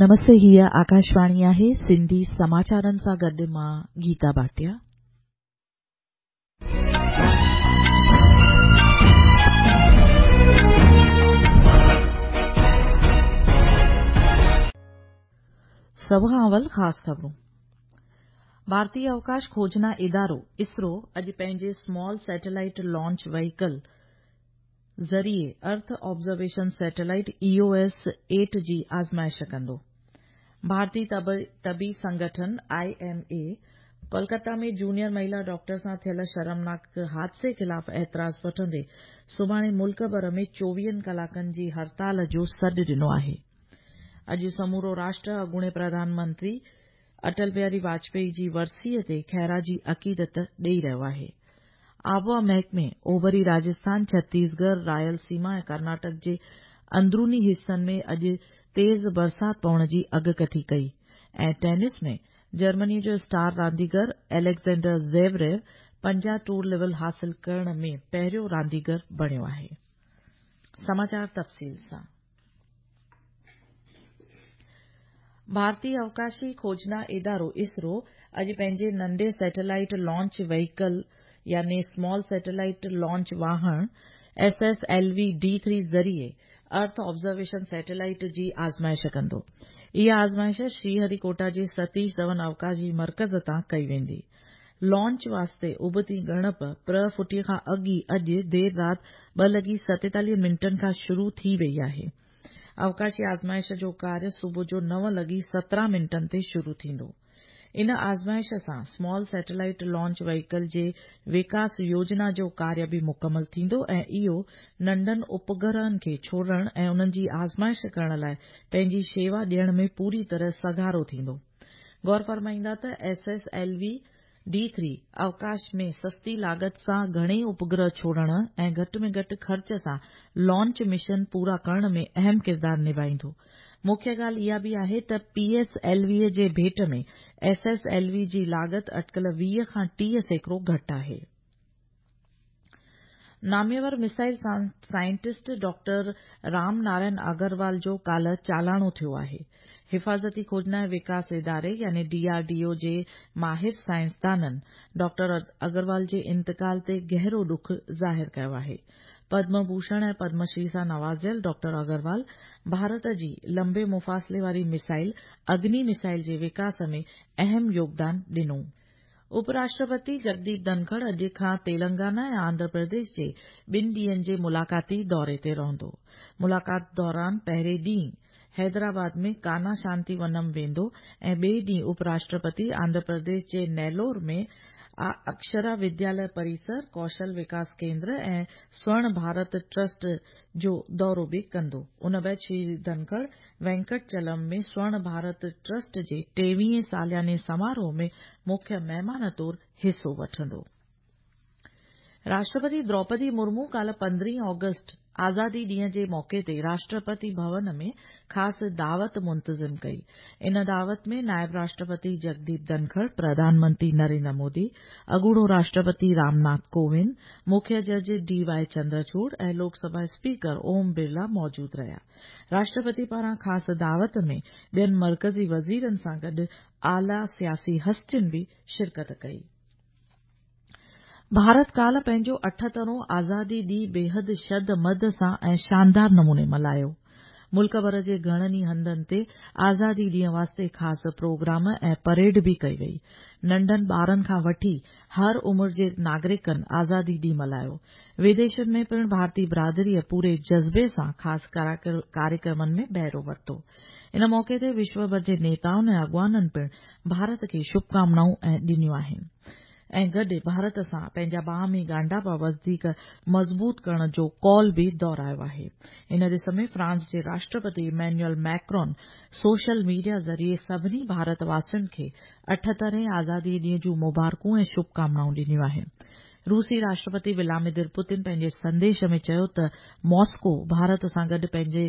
نمستي هيء آڪاشواڻي آهي سنڌي سماچارن سان گڏ مان گيتا ڀاٽيا. سڀ کان اول خاص خبرون. ڀارتي اوڪاش کوجنا ادارو اسرو اڄ پنهنجي سمال سيٽلائيٽ لانچ وهيڪل ذريعي earth observation satellite E O S eight جي آزمائش ڪندو. ڀارتي طبي سنگٺن I M A Kolkata ۾ junior مهيلا ڊاڪٽر سان ٿيل شرمناڪ حادثي خلاف اعتراض وٺندي سڀاڻي ملڪ ڀر ۾ چوويهن ڪلاڪن جي هڙتال جو سڏ ڏنو آهي. اڄ سمورو راشٽر اڳوڻي پرڌان منتري اٽل بهاري واجپائي جي ورسيء تي خراج عقيدت ڏئي رهيو آهي. آبهوا محڪمي اوڀري راجسٿان، ڇتيسڳڙهه، رائل سيما ۽ ڪرناٽڪ جي اندروني حصن ۾ اڄ تيز برسات پوڻ جي اڳڪٿي ڪئي ۽ ٽينس ۾ جرمني جو اسٽار رانديگر اليگزينڊر زيوريو 50 ٽوئر ليول حاصل ڪرڻ ۾ پهريون رانديگر بڻيو آهي. سماچار تفصيل سان ڀارتي اوڪاشي کوجنا ادارو اسرو اڄ پنهنجي ننڍي سيٽلائيٽ لانچ وهيڪل يعني سمال سيٽلائيٽ لانچ واهڻ S S L V D three ذريعي ارٿ آبزرويشن سيٽلائيٽ جي آزمائش ڪندو. اها آزمائش شري هري ڪوٽا جي ستيش ڌون اوڪاش جي مرڪز تان ڪئي ويندي. لانچ واسطي ابتي ڳڻپ پرهه ڦٽيء کان اڳ ئي اڄ دير رات 2 لڳي 47 منٽن کان شروع ٿي وئي آهي. اوڪاشي آزمائش جو ڪاريه صبح جو 9 لڳي 17 منٽن تي شروع ٿيندو. ان آزمائش سان سمال سيٽلائيٽ لانچ وهيڪل جي وڪاس يوجنا جو ڪاريه به مڪمل ٿيندو ۽ اهو ننڍن اپگرهن کي ڇوڙڻ ۽ انهن جي آزمائش ڪرڻ لاء پنهنجي شيوا ڏيڻ ۾ پوري طرح سگهارو ٿيندو. غور فرمائيندا ته S S L V D three اوڪاش ۾ سستي لاڳت سان گهڻي اپگرهه ڇوڙڻ ۽ گهٽ ۾ گهٽ خرچ سان لانچ مشن پورا ڪرڻ ۾ اهم ڪردار نڀائيندو. مکيه ڳالهه اها به آهي ته پي ايس ايل وي جي ڀيٽ ۾ ايس ايس ايل وي جي لاڳت اٽڪل 20 کان 30% گهٽ آهي. ناميور missile scientist doctor Ram Narayan Agarwal جو ڪالهه چالاڻو ٿيو آهي. حفاظتي کوجنا ۽ وڪاس اداري يعني ڊي آر ڊي او جي ماهر سائنسدانن ڊاڪٽر اگروال جي انتقال تي گهرو ڏک ظاهر ڪيو آهي. پدم ڀوشڻ ۽ پدم شري سان نوازيل ڊاڪٽر اگروال ڀارت جي لمبي مفاصلي واري ميزائل اگني ميزائل جي وڪاس ۾ اهم يوگدان ڏنو. اپ راشٽرپتي جگديپ ڌنکڙ اڄ کان تيلنگانا ۽ آنڌرا پرديش جي 2 ڏينهن جي ملاقاتي دوري تي رهندو. ملاقات دوران پهرين ڏينهن حيدرآباد ۾ ڪانا شانتي ونم ويندو ۽ ٻئي ڏينهن اپ راشٽرپتي آنڌرا پرديش جي نيلور ۾ اڪشرا ودياليه پريسر، ڪوشل وڪاس ڪيندر ۽ سورڻ ڀارت ٽرسٽ جو دورو به ڪندو. ان بعد شري ڌنکڙ وينڪٽ چلم ۾ سورڻ ڀارت ٽرسٽ جي 23هين سالياني سماروهه ۾ مکيه مهمان طور حصو وٺندو. راشٽرپتي دروپدي مرمو ڪالهه 15 آگسٽ آزادي ڏينهن جي موقعي تي راشٽرپتي ڀون ۾ خاص دعوت منتظم ڪئي. ان دعوت ۾ نائب راشٽرپتي جگديپ ڌنکڙ، پرڌان منتري نريندر مودي، اڳوڻو راشٽرپتي رامناٿ ڪووند، مکيه جج ڊي وائي چندرچوڙ ۽ لوڪ سڀا اسپيڪر اوم برلا موجود رهيا. راشٽرپتي پاران خاص دعوت ۾ ٻين مرڪزي وزيرن سان گڏ اعليٰ سياسي هستين به شرڪت ڪئي. ڀارت ڪالهه پنهنجو 78هون آزادي ڏينهن بيحد شد مد سان ۽ شاندار نموني ملهايو. ملڪ ڀر جي گهڻن ئي هنڌن تي آزادي ڏينهن واسطي خاص پروگرام ۽ پريڊ به ڪئي وئي. ننڍن ٻارن کان وٺي هر عمر جي ناگرڪن آزادي ڏينهن ملهايو. وديشن ۾ پڻ ڀارتي برادريء پوري جذبي سان خاص ڪاريڪرمن ۾ بهرو ورتو. ان موقعي تي وشو ڀر جي نيتائن ۽ اڳواڻن پڻ ڀارت کي شڀڪامنائون ڏنيون آهن ۽ گڏ ڀارت سان پنهنجا باهمي ڳانڍاپا وڌيڪ مضبوط ڪرڻ جو قول به دهرايو آهي. ان ڏس ۾ فرانس جي Rashtrapati Emmanuel Macron social media ذريعي سڀني ڀارت واسين کي 78هين آزادي ڏينهن جون مبارڪون ۽ شڀڪامنائون ڏنيون آهن. روسي راشٽرپتي ولاديمير پوتن پنهنجي سنديش ۾ چيو ته ماسڪو ڀارت سان گڏ پنهنجي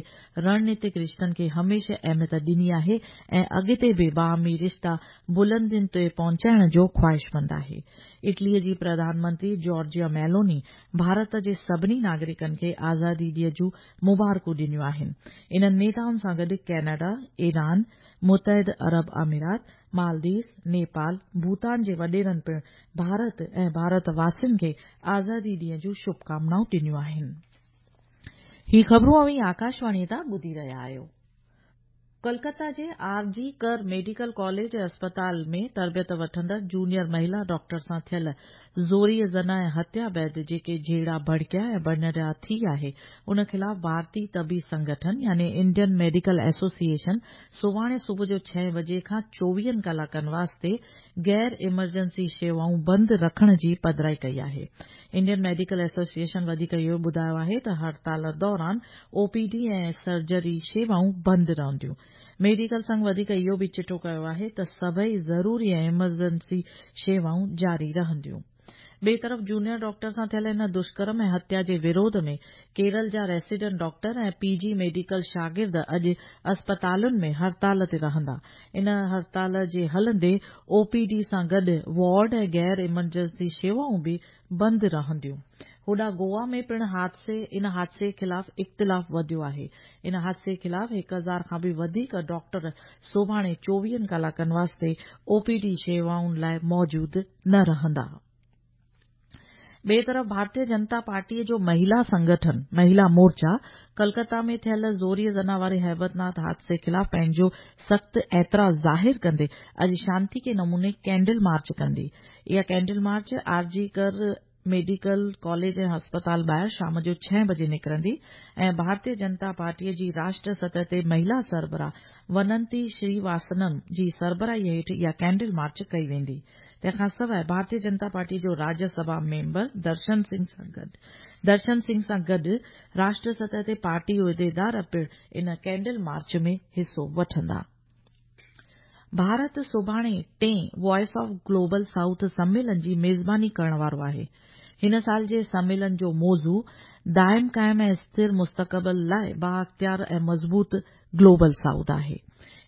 رڻنيتڪ رشتن کي هميشه اهميت ڏني آهي ۽ اڳتي به باهمي رشتا بلندين تي پهچائڻ جو خواهشمند آهي. اٽليء جي پرڌان منتري جارجيا ميلوني ڀارت جي سڀني ناگرڪن کي آزادي ڏينهن جون مبارڪون ڏنيون آهن. انهن نيتائن سان گڏ ڪينيڊا، ايران، متحده عرب امارات، مالديوز، نيپال، ڀوتان جي وڏيرن پڻ ڀارت ۽ ڀارت واسين کي آزادي ڏينهن جون شڀڪامنائون ڏنيون آهن. هي خبرون اوهين آڪاشواڻيء تان ٻڌي رهيا آهيو. ڪلڪتا جي آر جي ڪر ميڊيڪل ڪاليج ۽ اسپتال ۾ تربيت وٺندڙ جونيئر مهيلا ڊاڪٽر سان ٿيل زوريء زنا ۽ هتيا بعد جيڪي جهيڙا ڀڙڪيا ۽ ڀڃڊاهه ٿي آهي ان خلاف ڀارتي طبي سنگٺن يعني انڊين ميڊيڪل ايسوسيئيشن سڀاڻي صبح جو ڇهين بجي کان چوويهن ڪلاڪن واسطي غير ايمرجنسي شيوائون بند رکڻ جي پڌرائي ڪئي آهي. انڊين ميڊيڪل ايسوسيئيشن وڌيڪ اهو ٻڌايو آهي ته هڙتال دوران او پي ڊي ۽ سرجري شيوائون بند رهنديون. ميڊيڪل سنگهه وڌيڪ اهو به چٽو ڪيو آهي ته سڀئي ضروري ۽ ايمرجنسي شيوائون جاري رهنديون. ٻئي طرف جونيئر ڊاڪٽر سان ٿيل ان دشڪرم ۽ هتيا جي وروڌ ۾ ڪيرل جا ريسيڊنٽ ڊاڪٽر ۽ پي جي ميڊيڪل شاگرد اڄ اسپتالن ۾ هڙتال تي رهندا. ان هڙتال جي هلندي او پي ڊي سان گڏ وارڊ ۽ غير ايمرجنسي شيوائون به بند رهنديون. هوڏانهن گوا ۾ پڻ حادثي ان حادثي خلاف اختلاف وڌيو آهي. ان حادثي خلاف 1000 کان به وڌيڪ ڊاڪٽر سڀاڻي چوويهن ڪلاڪن واسطي او پي ڊي شيوائن لاء موجود نه رهندا. ٻئي طرف ڀارتيه جنتا پارٽيء جو مهيلا سنگٺن مهيلا مورچا ڪلڪتا ۾ ٿيل زوريء زنا واري هيبتناڪ حادثي خلاف پنهنجو سخت اعتراض ظاهر ڪندي اڄ شانتيڪي نموني ڪينڊل مارچ ڪندي. اها candle march R G Kar medical college ۽ اسپتال ٻاهر شام جو ڇهين بجي نڪرندي ۽ ڀارتيه جنتا پارٽيء جي راشٽر سطح تي مهيلا سربراهه وننتي شريواسنم جي سربراهيء هيٺ اها ڪينڊل مارچ ڪئي ويندي. تنهن کان سواء ڀارتيه جنتا پارٽيء جو راجيه سڀا ميمبر درشن سنگهه سان گڏ درشن سنگهه سان گڏ راشٽر سطح تي پارٽي عهديدار پڻ ان ڪينڊل مارچ ۾ حصو وٺندا. ڀارت سڀاڻي ٽئين وائس آف گلوبل سائوٿ سميلن جي ميزباني ڪرڻ وارو آهي. هن سال جي سميلن جو موضوع دائم قائم ۽ اسٿر مستقبل لاء بااختيار ۽ مضبوط گلوبل سائوٿ آهي.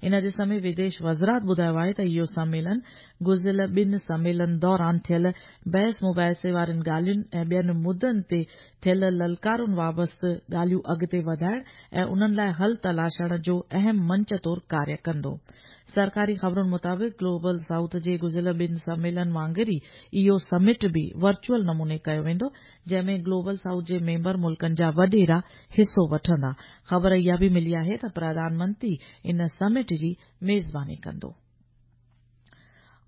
ان ڏس ۾ وديش وزارت ٻڌايو آهي ته اهو سميلن گذريل ٻن سميلن دوران ٿيل بحث مباحثي وارين ڳالهين ۽ ٻين مدن تي ٿيل للڪارن وابسته ڳالهيون اڳتي وڌائڻ ۽ انهن لاء حل تلاشڻ جو اهم منچ طور ڪاريه ڪندو. سرڪاري خبرن مطابق گلوبل سائوٿ جي گذريل ٻن سميلن وانگر ئي اهو سمٽ به ورچوئل نموني ڪيو ويندو جنهن ۾ گلوبل سائوٿ جي ميمبر ملڪن جا وڏيرا حصو وٺندا. خبر اها به ملي آهي ته پرڌان منتري ان سمٽ جي ميزباني ڪندو.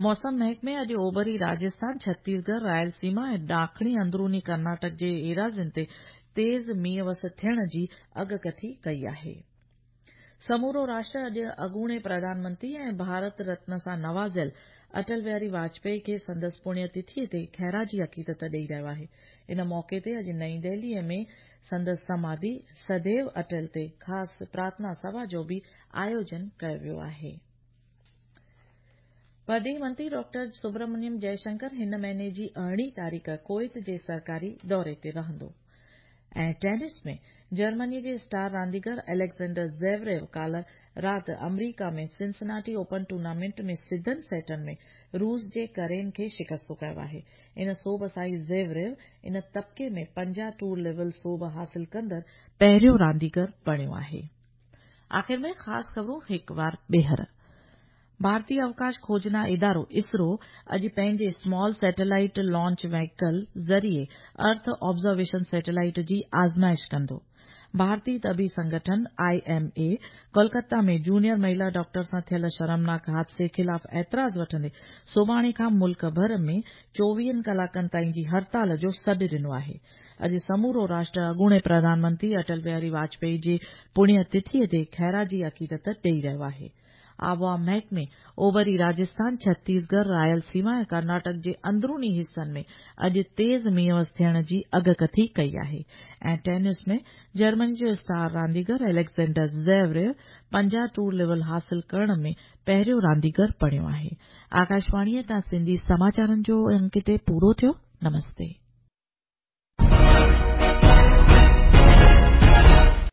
موسم محڪمي اڄ اوڀري راجسٿان، ڇتيسڳڙهه، رائل سيما ۽ ڏاکڻي اندروني ڪرناٽڪ جي ايراضين تي تيز مينهن وس ٿيڻ جي اڳڪٿي ڪئي آهي. سمورو راشٽر اڄ اڳوڻي پرڌان منتري ۽ ڀارت رتن سان نوازيل اٽل بهاري واجپائي کي سندس پڻيه تٿيء تي خراجي عقيدت ڏئي رهيو آهي. ان موقعي تي اڄ نئين دهليء ۾ سندس سماڌي سديو اٽل تي خاص پرارٿنا سڀا جو به آيوجن ڪيو ويو آهي. پرڏيهي منتري ڊاڪٽر سبرامنيم جئه شنڪر هن مهيني جي ارڙهين تاريخ ڪويت جي سرڪاري دوري تي رهندو. ۽ ٽينس ۾ جرمني جي اسٽار رانديگر اليگزينڊر زيوريو ڪالهه رات آمريڪا ۾ سنسناٽي اوپن ٽورنامينٽ ۾ سڌن سيٽن ۾ روس جي ڪرين کي شڪست ڪيو آهي. ان سوڀ سان ئي زيوريو ان طبقي ۾ 50 ٽور ليول سوڀ حاصل ڪندڙ پهريون رانديگر بڻيو آهي. آخر ۾ خاص خبرون هڪ وار ٻيهر. ڀارتي اوڪاش کوجنا ادارو اسرو اڄ پنهنجي اسمال سيٽلائيٽ لانچ وهيڪل ذريعي ارٿ آبزرويشن سيٽلائيٽ جي آزمائش ڪندو. ڀارتي طبي سنگٺن، I M A, Kolkata ۾ junior مهيلا ڊاڪٽر سان ٿيل شرمناڪ حادثي خلاف اعتراض وٺندي سڀاڻي کان ملڪ ڀر ۾ چوويهن ڪلاڪن تائين جي هڙتال جو سڏ ڏنو آهي. اڄ سمورو راشٽر اڳوڻي پرڌان منتري اٽل بهاري واجپائي جي پڻيه تٿيء تي خراجي عقيدت ڏئي رهيو آهي. آبهوا محڪمي اوڀري راجسٿان، ڇتيسڳڙهه، رائل سيما ۽ ڪرناٽڪ جي اندروني حصن ۾ اڄ تيز مينهن وس ٿيڻ جي اڳڪٿي ڪئي آهي ۽ ٽينس ۾ جرمني جو اسٽار رانديگر اليگزينڊر زيوريو 50 ٽور ليول حاصل ڪرڻ ۾ پهريون رانديگر بڻيو آهي. آڪاشواڻيء تان سنڌي سماچارن جو انڪ هتي پورو ٿيو. نمستي.